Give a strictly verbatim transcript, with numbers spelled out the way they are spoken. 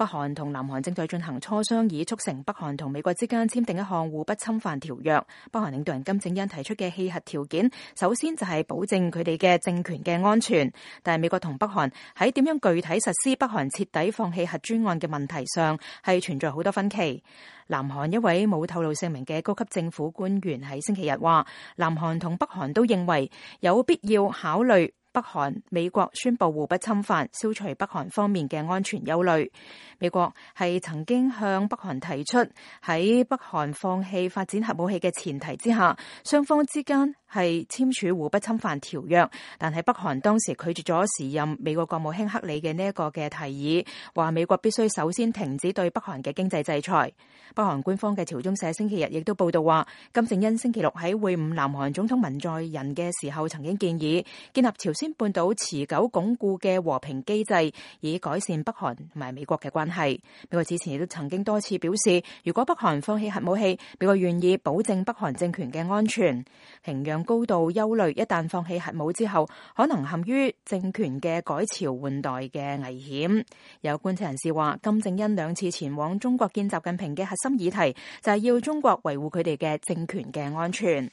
北韓同南韓正在進行磋商，以促成北韓同美國之間簽訂一項互不侵犯條約。北韓領導人金正恩提出嘅棄核條件，首先就係保證佢哋嘅政權嘅安全。但係美國同北韓喺點樣具體實施北韓徹底放棄核專案嘅問題上，係存在好多分歧。南韓一位冇透露姓名嘅高級政府官員喺星期日話，南韓同北韓都認為有必要考慮北韓、美國宣布互不侵犯，消除北韓方面嘅安全憂慮。美國係曾經向北韓提出喺北韓放棄發展核武器嘅前提之下，雙方之間係簽署互不侵犯條約，但係北韓當時拒絕咗時任美國國務卿克里嘅呢一個嘅提議，話美國必須首先停止對北韓嘅經濟制裁。北韓官方嘅朝中社星期日亦都報道話，金正恩星期六喺會晤南韓總統文在寅嘅時候，曾經建議建立朝鮮半島持久鞏固嘅和平機制，以改善北韓同埋美國嘅關係。美國之前亦都曾經多次表示，如果北韓放棄核武器，美國願意保證北韓政權嘅安全。平壤高度憂慮，一旦放棄核武之後，可能陷於政權嘅改朝換代嘅危險。有觀察人士話，金正恩兩次前往中國見習近平嘅核心議題就係要中國維護佢哋嘅政權嘅安全。